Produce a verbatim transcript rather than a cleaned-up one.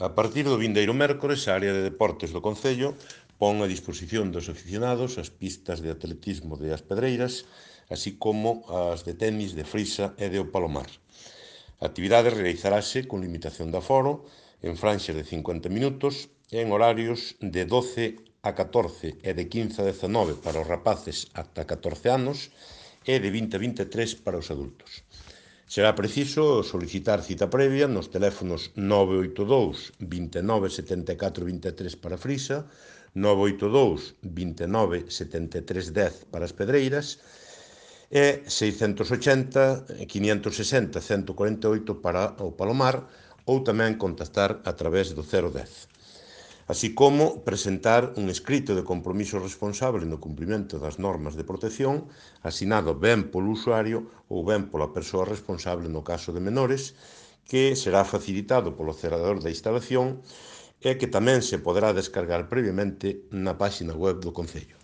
A partir do vindeiro mércores, a área de deportes do Concello pon a disposición dos aficionados as pistas de atletismo de As Pedreiras, así como as de tenis de Frisa e de O Palomar. A actividade realizarase con limitación de aforo, en franxas de cincuenta minutos e en horarios de doce a catorce e de quince a dezanove para os rapaces ata catorce anos e de vinte a vinte e tres para os adultos. Será preciso solicitar cita previa nos teléfonos nove oito dous, vinte e nove, setenta e catro, vinte e tres para Frisa, nove oito dous, vinte e nove, setenta e tres, dez para As Pedreiras e seiscentos e ochenta, quinhentos e sesenta, ciento cuarenta e oito para o Palomar, ou tamén contactar a través do cero dez. Así como presentar un escrito de compromiso responsable no cumprimento das normas de protección, asinado ben polo usuario ou ben pola persoa responsable no caso de menores, que será facilitado polo celador da instalación e que tamén se poderá descargar previamente na páxina web do Concello.